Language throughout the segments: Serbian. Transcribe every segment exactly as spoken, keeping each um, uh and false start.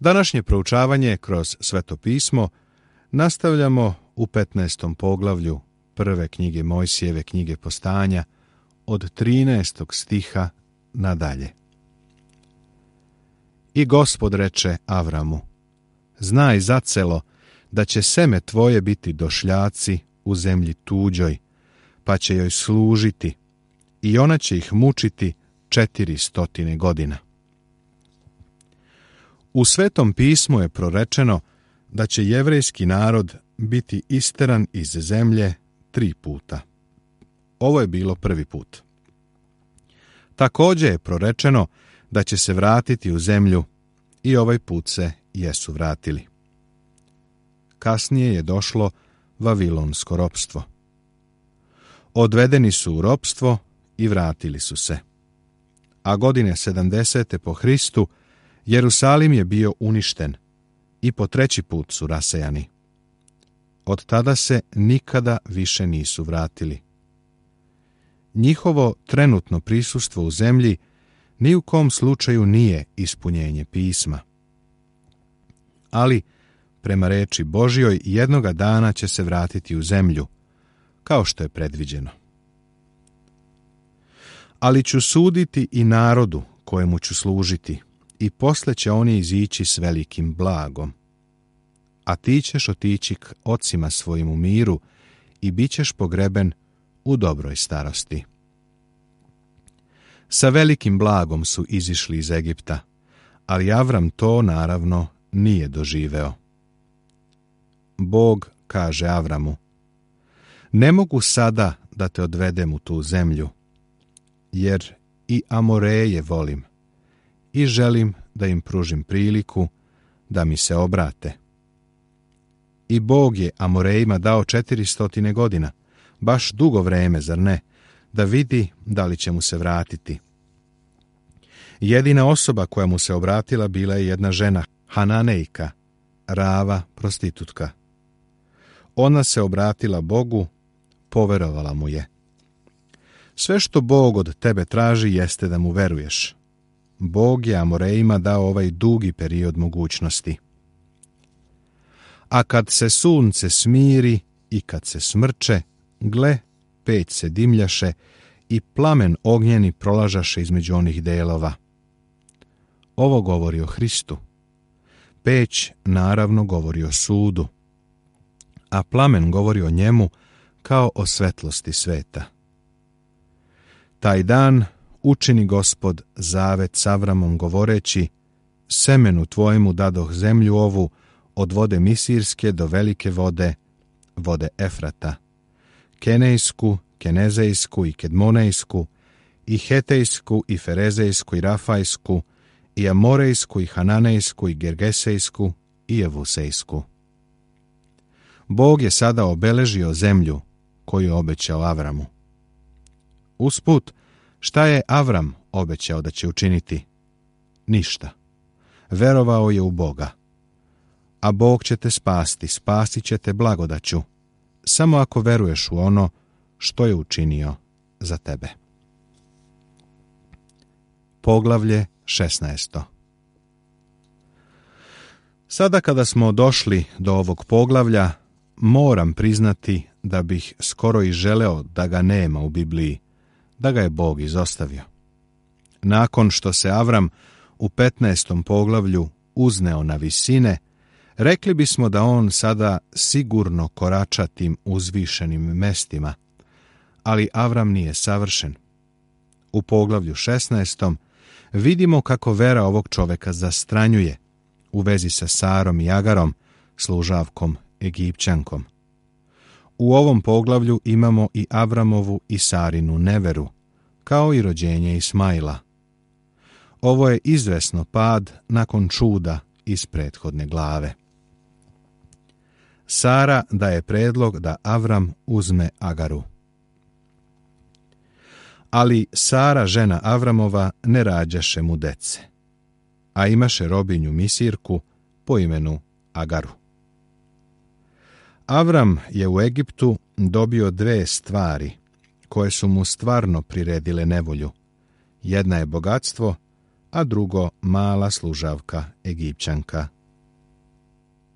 Današnje proučavanje kroz Sveto pismo nastavljamo u petnaestom poglavlju prve knjige Mojsijeve, knjige Postanja, od trinaestog stiha nadalje. I Gospod reče Avramu: znaj zacelo da će seme tvoje biti došljaci u zemlji tuđoj, pa će joj služiti i ona će ih mučiti četiri stotine godina. U Svetom pismu je prorečeno da će jevrejski narod biti isteran iz zemlje tri puta. Ovo je bilo prvi put. Također je prorečeno da će se vratiti u zemlju i ovaj put se jesu vratili. Kasnije je došlo vavilonsko ropstvo. Odvedeni su u ropstvo i vratili su se. A godine sedamdesete po Hristu Jerusalim je bio uništen i po treći put su rasejani. Od tada se nikada više nisu vratili. Njihovo trenutno prisustvo u zemlji ni u kom slučaju nije ispunjenje pisma. Ali, prema reči Božjoj, jednoga dana će se vratiti u zemlju, kao što je predviđeno. Ali ću suditi i narodu kojemu ću služiti, i posle će oni izići s velikim blagom. A ti ćeš otići k ocima svojim u miru i bit ćeš pogreben u dobroj starosti. Sa velikim blagom su izišli iz Egipta, ali Avram to naravno nije doživeo. Bog kaže Avramu: ne mogu sada da te odvedem u tu zemlju, jer i Amoreje volim i želim da im pružim priliku da mi se obrate. I Bog je Amorejima dao četiri stotine godina, baš dugo vreme, zar ne, da vidi da li će mu se vratiti. Jedina osoba koja mu se obratila bila je jedna žena, Hananejka, Rava, prostitutka. Ona se obratila Bogu, poverovala mu je. Sve što Bog od tebe traži jeste da mu veruješ. Bog je Amorejima dao ovaj dugi period mogućnosti. A kad se sunce smiri i kad se smrče, gle, peć se dimljaše i plamen ognjeni prolažaše između onih delova. Ovo govori o Hristu. Peć naravno govori o sudu, a plamen govori o njemu kao o svetlosti sveta. Taj dan učini Gospod zavet s Avramom govoreći: semenu tvojemu dadoh zemlju ovu, od vode Misirske do velike vode, vode Efrata, Kenejsku, Kenezejsku i Kedmonejsku, i Hetejsku, i Ferezejsku, i Rafajsku, i Amorejsku, i Hananejsku, i Gergesejsku, i Jevusejsku. Bog je sada obeležio zemlju koju je obećao Avramu. Usput, šta je Avram obećao da će učiniti? Ništa. Verovao je u Boga. A Bog će te spasti, spasit će te blagodaću, samo ako veruješ u ono što je učinio za tebe. Poglavlje šesnaesto. Sada kada smo došli do ovog poglavlja, moram priznati da bih skoro i želeo da ga nema u Bibliji, da ga je Bog izostavio. Nakon što se Avram u petnaestom poglavlju uzneo na visine, rekli bismo da on sada sigurno korača tim uzvišenim mestima, ali Avram nije savršen. U poglavlju šesnaestom vidimo kako vera ovog čoveka zastranjuje u vezi sa Sarom i Agarom, služavkom Egipćankom. U ovom poglavlju imamo i Avramovu i Sarinu neveru, kao i rođenje Ismaila. Ovo je izvesno pad nakon čuda iz prethodne glave. Sara daje predlog da Avram uzme Agaru. Ali Sara, žena Avramova, ne rađaše mu dece, a imaše robinju Misirku po imenu Agaru. Avram je u Egiptu dobio dve stvari koje su mu stvarno priredile nevolju. Jedna je bogatstvo, a drugo mala služavka Egipćanka.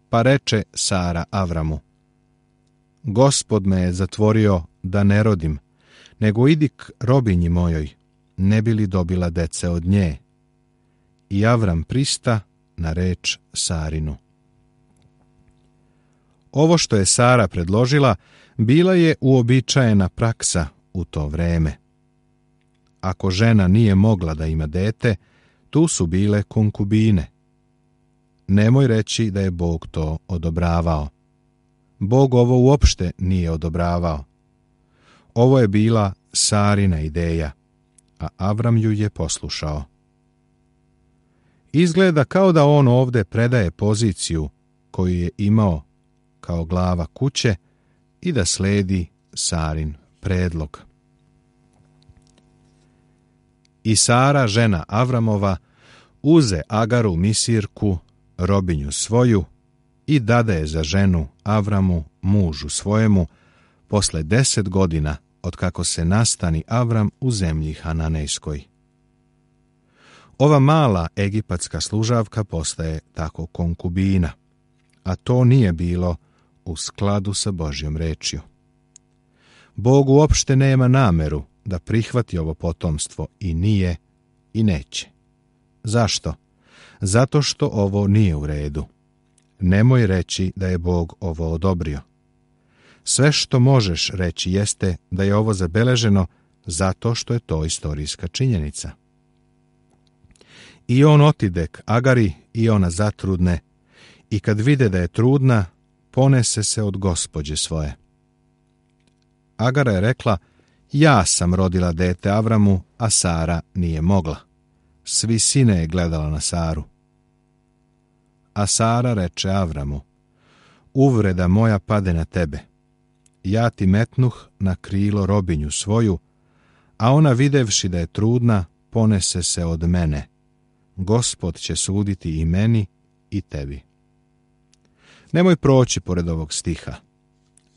Pa reče Sara Avramu: Gospod me je zatvorio da ne rodim, nego idi k robinji mojoj, ne bi li dobila dece od nje. I Avram prista na reč Sarinu. Ovo što je Sara predložila bila je uobičajena praksa u to vreme. Ako žena nije mogla da ima dete, tu su bile konkubine. Nemoj reći da je Bog to odobravao. Bog ovo uopšte nije odobravao. Ovo je bila Sarina ideja, a Avram ju je poslušao. Izgleda kao da on ovde predaje poziciju koju je imao kao glava kuće i da sledi Sarin predlog. I Sara, žena Avramova, uze Agaru Misirku, robinju svoju, i dade je za ženu Avramu, mužu svojemu, posle deset godina od kako se nastani Avram u zemlji Hananejskoj. Ova mala egipatska služavka postaje tako konkubina, a to nije bilo u skladu sa Božjom rečju. Bog uopšte nema nameru da prihvati ovo potomstvo i nije i neće. Zašto? Zato što ovo nije u redu. Nemoj reći da je Bog ovo odobrio. Sve što možeš reći jeste da je ovo zabeleženo zato što je to istorijska činjenica. I on otide k Agari i ona zatrudne, i kad vide da je trudna, ponese se od gospođe svoje. Agara je rekla: ja sam rodila dete Avramu, a Sara nije mogla. Svi sine je gledala na Saru. A Sara reče Avramu: uvreda moja pade na tebe. Ja ti metnuh na krilo robinju svoju, a ona videvši da je trudna, ponese se od mene. Gospod će suditi i meni i tebi. Nemoj proći pored ovog stiha.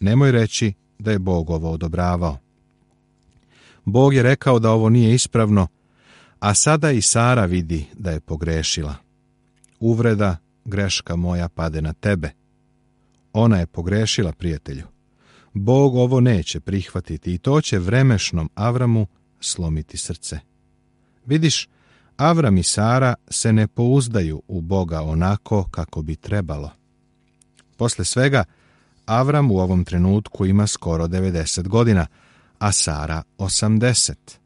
Nemoj reći da je Bog ovo odobravao. Bog je rekao da ovo nije ispravno, a sada i Sara vidi da je pogrešila. Uvreda, greška moja pade na tebe. Ona je pogrešila, prijatelju. Bog ovo neće prihvatiti i to će vremešnom Avramu slomiti srce. Vidiš, Avram i Sara se ne pouzdaju u Boga onako kako bi trebalo. Posle svega, Avram u ovom trenutku ima skoro devedeset godina, a Sara osamdeset.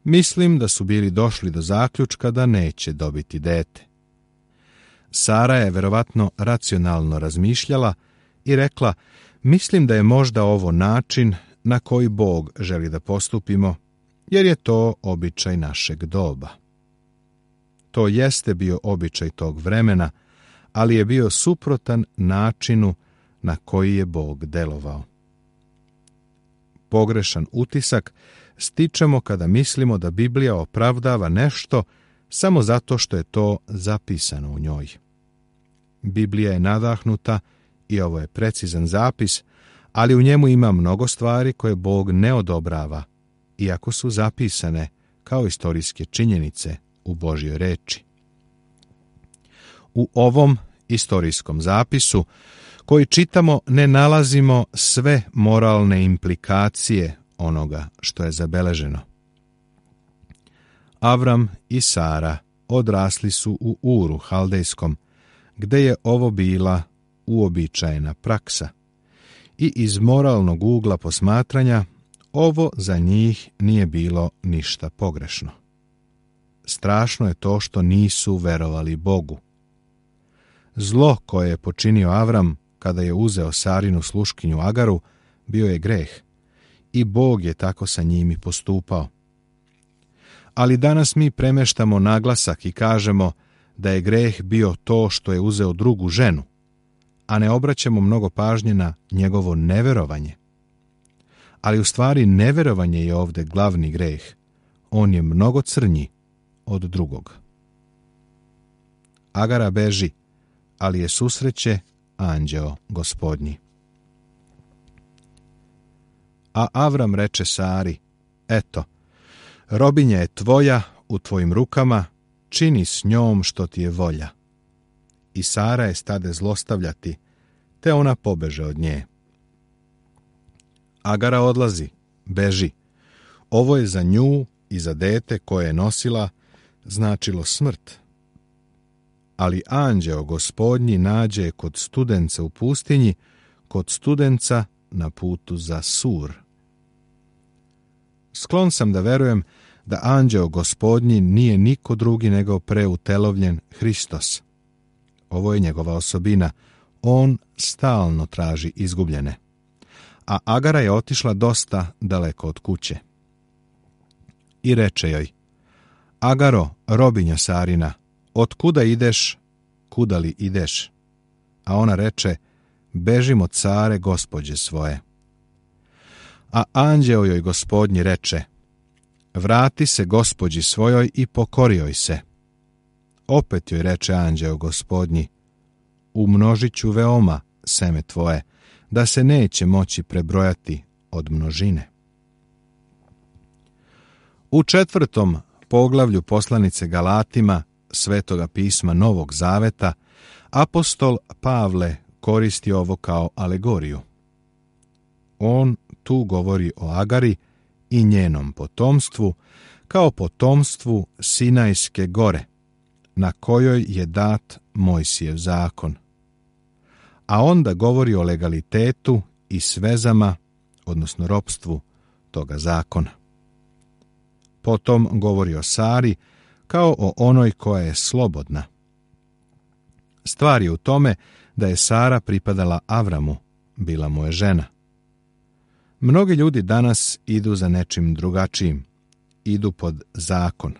Mislim da su bili došli do zaključka da neće dobiti dete. Sara je verovatno racionalno razmišljala i rekla: mislim da je možda ovo način na koji Bog želi da postupimo, jer je to običaj našeg doba. To jeste bio običaj tog vremena, ali je bio suprotan načinu na koji je Bog delovao. Pogrešan utisak stičemo kada mislimo da Biblija opravdava nešto samo zato što je to zapisano u njoj. Biblija je nadahnuta i ovo je precizan zapis, ali u njemu ima mnogo stvari koje Bog ne odobrava, iako su zapisane kao istorijske činjenice u Božjoj reči. U ovom istorijskom zapisu koji čitamo ne nalazimo sve moralne implikacije onoga što je zabeleženo. Avram i Sara odrasli su u Uru Haldejskom, gde je ovo bila uobičajena praksa, i iz moralnog ugla posmatranja ovo za njih nije bilo ništa pogrešno. Strašno je to što nisu verovali Bogu. Zlo koje je počinio Avram kada je uzeo Sarinu sluškinju Agaru bio je greh, i Bog je tako sa njim i postupao. Ali danas mi premeštamo naglasak i kažemo da je greh bio to što je uzeo drugu ženu, a ne obraćamo mnogo pažnje na njegovo neverovanje. Ali u stvari neverovanje je ovde glavni greh. On je mnogo crnji od drugog. Agara beži, ali je susreće anđeo Gospodnji. A Avram reče Sari: eto, robinja je tvoja u tvojim rukama, čini s njom što ti je volja. I Sara je stade zlostavljati, te ona pobeže od nje. Agara odlazi, beži. Ovo je za nju i za dete koje je nosila značilo smrt. Ali anđeo Gospodnji nađe je kod studenca u pustinji, kod studenca na putu za Sur. Sklon sam da verujem da anđeo Gospodnji nije niko drugi nego preutelovljen Hristos. Ovo je njegova osobina. On stalno traži izgubljene. A Agara je otišla dosta daleko od kuće. I reče joj: Agaro, robinja Sarina, od kuda ideš, kuda li ideš? A ona reče: bežim od Sare, gospođe svoje. A anđeo joj Gospodnji reče: vrati se gospođi svojoj i pokori joj se. Opet joj reče anđeo Gospodnji: umnožit ću veoma seme tvoje, da se neće moći prebrojati od množine. U četvrtom poglavlju poslanice Galatima Svetoga pisma Novog Zaveta apostol Pavle koristi ovo kao alegoriju. On tu govori o Agari i njenom potomstvu kao potomstvu Sinajske gore, na kojoj je dat Mojsijev zakon. A onda govori o legalitetu i svezama, odnosno ropstvu toga zakona. Potom govori o Sari kao o onoj koja je slobodna. Stvar je u tome da je Sara pripadala Avramu, bila mu je žena. Mnogi ljudi danas idu za nečim drugačijim, idu pod zakon.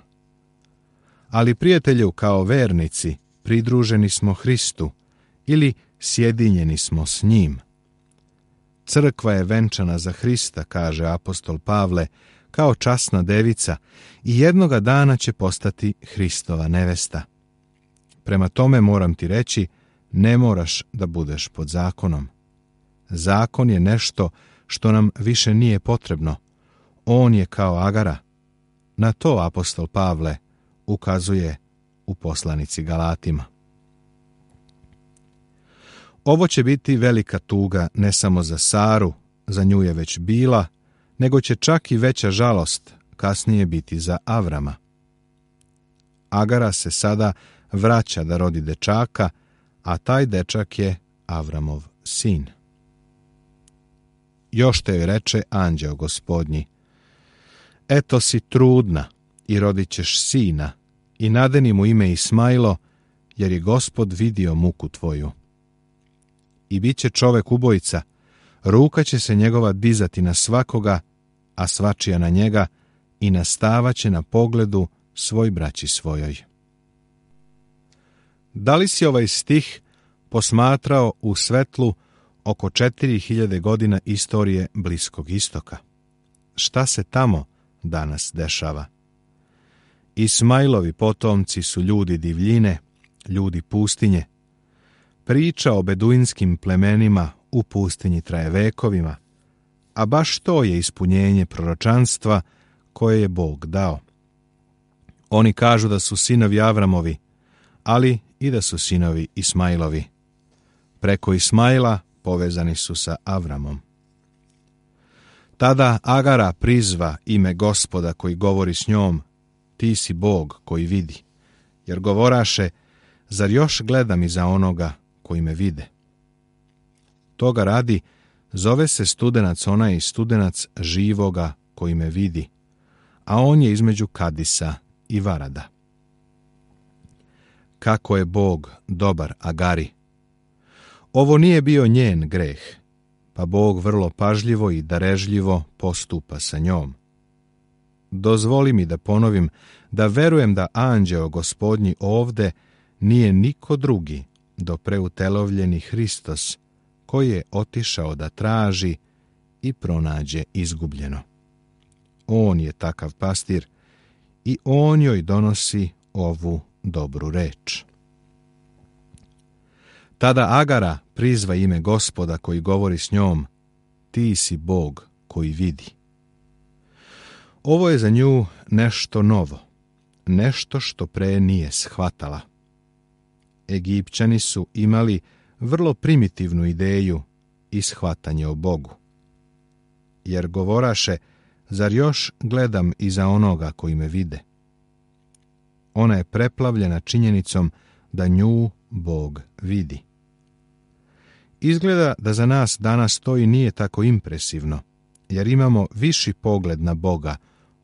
Ali prijatelju, kao vernici pridruženi smo Hristu ili sjedinjeni smo s njim. Crkva je venčana za Hrista, kaže apostol Pavle, kao časna devica i jednoga dana će postati Hristova nevesta. Prema tome moram ti reći, ne moraš da budeš pod zakonom. Zakon je nešto što nam više nije potrebno. On je kao Agara. Na to apostol Pavle ukazuje u poslanici Galatima. Ovo će biti velika tuga ne samo za Saru, za nju je već bila, nego će čak i veća žalost kasnije biti za Avrama. Agara se sada vraća da rodi dečaka, a taj dečak je Avramov sin. Još te joj reče anđeo Gospodnji: eto si trudna i rodit ćeš sina i nadeni mu ime Ismailo, jer je Gospod vidio muku tvoju. I bit će čovek ubojica, ruka će se njegova dizati na svakoga, a svačija na njega, i nastavaće na pogledu svoj braći svojoj. Da li si ovaj stih posmatrao u svetlu oko četiri hiljade godina istorije Bliskog istoka? Šta se tamo danas dešava? Ismailovi potomci su ljudi divljine, ljudi pustinje. Priča o beduinskim plemenima u pustinji traje vekovima, a baš to je ispunjenje proročanstva koje je Bog dao. Oni kažu da su sinovi Avramovi, ali i da su sinovi Ismailovi. Preko Ismaila povezani su sa Avramom. Tada Agara prizva ime Gospoda koji govori s njom: ti si Bog koji vidi, jer govoraše: zar još gledam iza onoga koji me vide? Toga radi, zove se studenac onaj studenac živoga koji me vidi, a on je između Kadisa i Varada. Kako je Bog dobar Agari! Ovo nije bio njen greh, pa Bog vrlo pažljivo i darežljivo postupa sa njom. Dozvoli mi da ponovim da verujem da anđeo Gospodnji ovde nije niko drugi do preutelovljeni Hristos, koji je otišao da traži i pronađe izgubljeno. On je takav pastir i on joj donosi ovu dobru reč. Tada Agara prizva ime Gospoda koji govori s njom: ti si Bog koji vidi. Ovo je za nju nešto novo. nešto što pre nije shvatala. Egipćani su imali vrlo primitivnu ideju i shvatanje o Bogu. Jer govoraše, zar još gledam iza onoga koji me vide? Ona je preplavljena činjenicom da nju Bog vidi. Izgleda da za nas danas to i nije tako impresivno, jer imamo viši pogled na Boga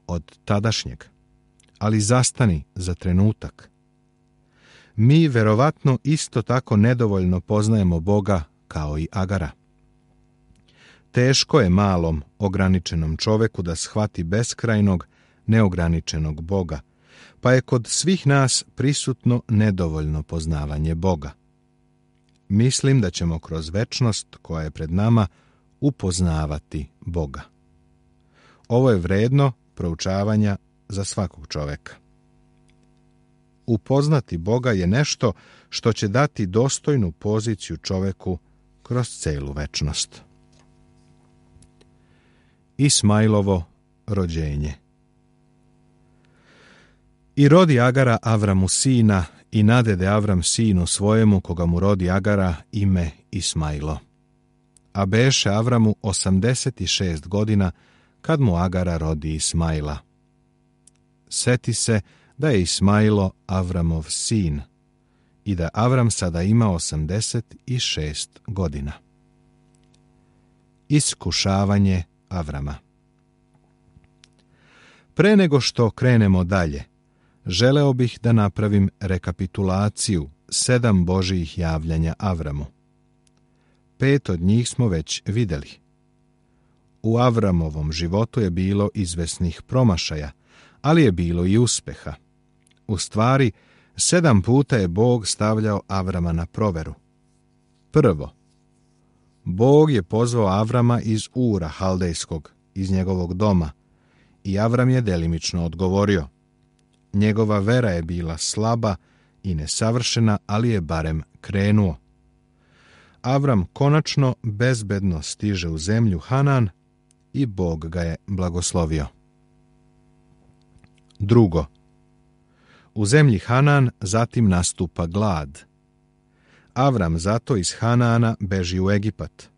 od tadašnjeg. Ali zastani za trenutak. Mi verovatno isto tako nedovoljno poznajemo Boga kao i Agara. Teško je malom, ograničenom čoveku da shvati beskrajnog, neograničenog Boga, pa je kod svih nas prisutno nedovoljno poznavanje Boga. Mislim da ćemo kroz večnost koja je pred nama upoznavati Boga. Ovo je vredno proučavanja za svakog čoveka. Upoznati Boga je nešto što će dati dostojnu poziciju čoveku kroz celu večnost. Ismailovo rođenje. I rodi Agara Avramu sina, i nadede Avram sinu svojemu, koga mu rodi Agara, ime Ismailo. A beše Avramu osamdeset šest godina, kad mu Agara rodi Ismaila. Seti se da je Ismailo Avramov sin i da Avram sada ima osamdeset šest godina. Iskušavanje Avrama. Pre nego što krenemo dalje, želeo bih da napravim rekapitulaciju sedam Božijih javljanja Avramu. Pet od njih smo već vidjeli. U Avramovom životu je bilo izvesnih promašaja, ali je bilo i uspeha. U stvari, sedam puta je Bog stavljao Avrama na proveru. Prvo, Bog je pozvao Avrama iz Ura Haldejskog, iz njegovog doma, i Avram je delimično odgovorio. Njegova vera je bila slaba i nesavršena, ali je barem krenuo. Avram konačno bezbedno stiže u zemlju Hanan i Bog ga je blagoslovio. Drugo, u zemlji Hanan zatim nastupa glad. Avram zato iz Hanana beži u Egipat.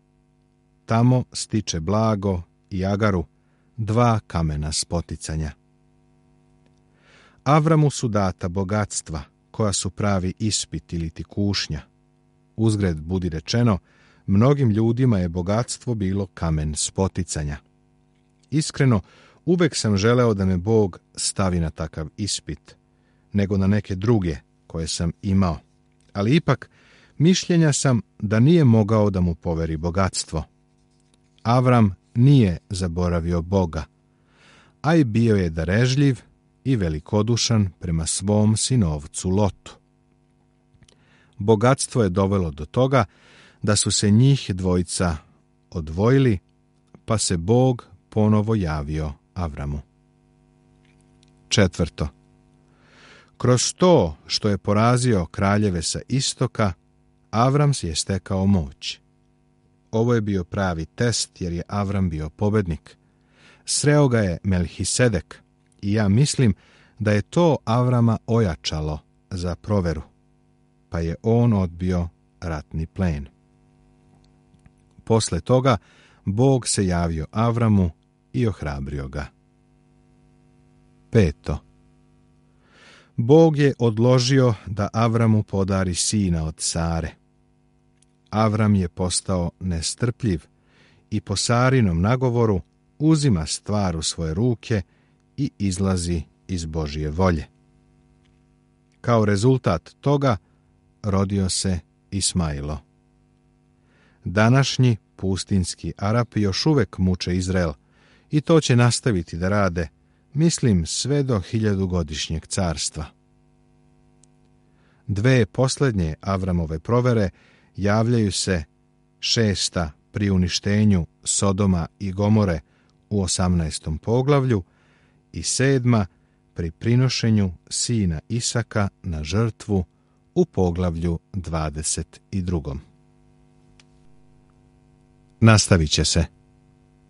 Tamo stiče blago i Agaru, dva kamena spoticanja. Avramu su data bogatstva, koja su pravi ispit ili ti kušnja. Uzgred budi rečeno, mnogim ljudima je bogatstvo bilo kamen spoticanja. Iskreno, uvek sam želeo da me Bog stavi na takav ispit, nego na neke druge koje sam imao. Ali ipak, mišljenja sam da nije mogao da mu poveri bogatstvo. Avram nije zaboravio Boga, a i bio je darežljiv i velikodušan prema svom sinovcu Lotu. Bogatstvo je dovelo do toga da su se njih dvojica odvojili, pa se Bog ponovo javio Avramu. Četvrto, kroz to što je porazio kraljeve sa istoka, Avram je stekao moć. Ovo je bio pravi test, jer je Avram bio pobednik. Sreo ga je Melhisedek i ja mislim da je to Avrama ojačalo za proveru, pa je on odbio ratni plen. Posle toga Bog se javio Avramu i ohrabrio ga. Peto, Bog je odložio da Avramu podari sina od Sare. Avram je postao nestrpljiv i po Sarinom nagovoru uzima stvar u svoje ruke i izlazi iz Božje volje. Kao rezultat toga rodio se Ismailo. Današnji pustinski Arapi još uvek muče Izrael i to će nastaviti da rade, mislim, sve do hiljadugodišnjeg carstva. Dve posljednje Avramove provere javljaju se, šesta pri uništenju Sodoma i Gomore u osamnaestom poglavlju i sedma pri prinošenju sina Isaka na žrtvu u poglavlju dvadeset drugom. Nastavit će se.